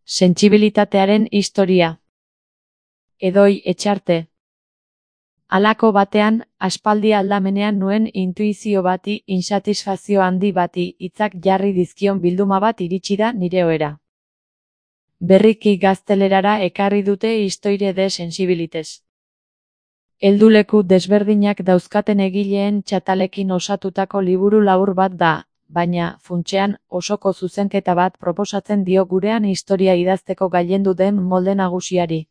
Sentsibilitatearen historia. Edoi Etxarte. Halako batean, aspaldi aldamenean nuen intuizio bati, insatisfazio handi bati, hitzak jarri dizkion bilduma bat iritsi da nire ohera. Berriki gaztelerara ekarri dute Histoire de sensibilités. Helduleku desberdinak dauzkaten egileen txatalekin osatutako liburu labur bat da, baina, funtsean, osoko zuzenketa bat proposatzen dio gurean historia idazteko gailendu den molde nagusiari.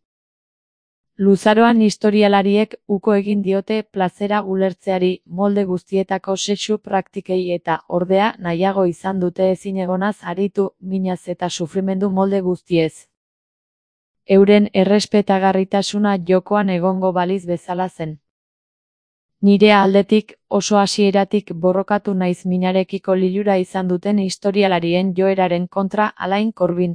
Luzaroan historialariek uko egin diote plazera ulertzeari, molde guztietako sexu praktikei eta, ordea, nahiago izan dute ezinegonaz aritu, minaz eta sufrimendu molde guztiez. Euren errespetagarritasuna jokoan egongo baliz bezala zen. Nire aldetik, oso hasieratik borrokatu naiz minarekiko lilura izan duten historialarien joeraren kontra Alain Corbin.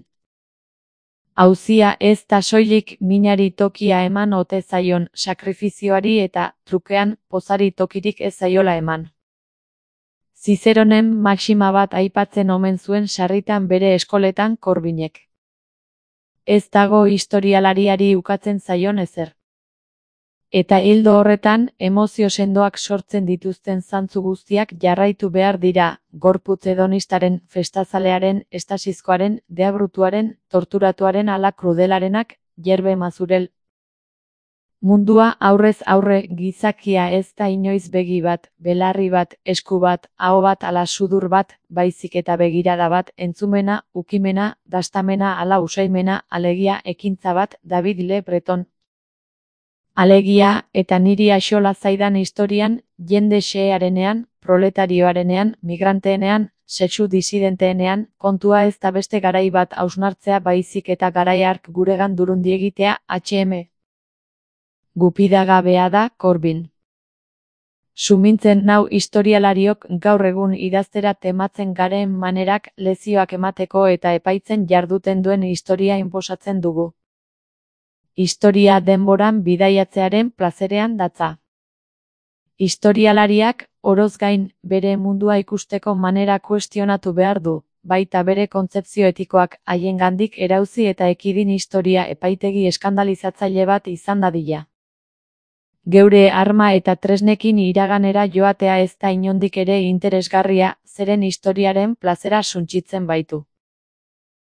Auzia ez da soilik minari tokia eman ote zaion sakrifizioari eta, trukean, pozari tokirik ez zaiola eman. Zizeronen maxima bat aipatzen omen zuen sarritan bere eskoletan Corbinek. Ez dago historialariari ukatzen zaion ezer. Eta ildo horretan, emozio sendoak sortzen dituzten zantzu guztiak jarraitu behar dira, gorputz hedonistaren, festazalearen, estasizkoaren, deabrutuaren, torturatuaren ala krudelarenak, Yerbe Mazurel. Mundua aurrez aurre gizakia ez da inoiz begi bat, belarri bat, esku bat, aho bat ala sudur bat, baizik eta begirada bat, entzumena, ukimena, dastamena ala usaimena, alegia ekintza bat, David Le Breton. Alegia, eta niri axola zaidan historian, jende xehearenean, proletarioarenean, migranteenean, sexu disidenteenean, kontua ez da beste garai bat hausnartzea baizik eta garai hark guregan durundi egitea, H.M. Gupidagabea da, Corbin. Sumintzen nau historialariok gaur egun idaztera tematzen garen manerak lezioak emateko eta epaitzen jarduten duen historia inposatzen dugu. Historia denboran bidaiatzearen plazerean datza. Historialariak, oroz gain, bere mundua ikusteko manera kuestionatu behar du, baita bere kontzepzio etikoak haiengandik erauzi eta ekidin historia epaitegi eskandalizatzaile bat izan dadila. Geure arma eta tresnekin iraganera joatea ez da inondik ere interesgarria, zeren historiaren plazera suntsitzen baitu.